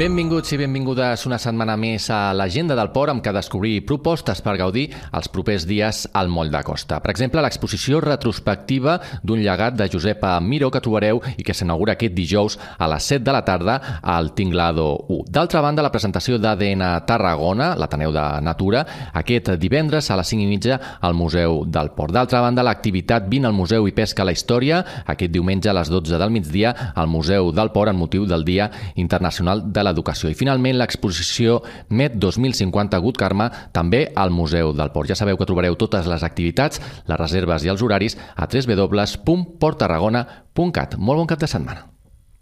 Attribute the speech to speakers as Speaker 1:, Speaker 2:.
Speaker 1: Benvinguts i benvingudes una setmana més a l'Agenda del Port, amb què descobrir propostes per gaudir els propers dies al Moll de Costa. Per exemple, l'exposició retrospectiva d'un llegat de Josepa Miró que trobareu i que s'inaugura aquest dijous a les 7 de la tarda al Tinglado 1. D'altra banda, la presentació d'ADN Tarragona, l'Ateneu de Natura, aquest divendres a les 5:30 al Museu del Port. D'altra banda, l'activitat Vine al Museu i Pesca la Història, aquest diumenge a les 12 del migdia al Museu del Port amb motiu del Dia Internacional de l'Educació. I finalment l'exposició Met 2050 Good Karma també al Museu del Port. Ja sabeu que trobareu totes les activitats, les reserves i els horaris a www.porttarragona.cat. Molt bon cap de setmana.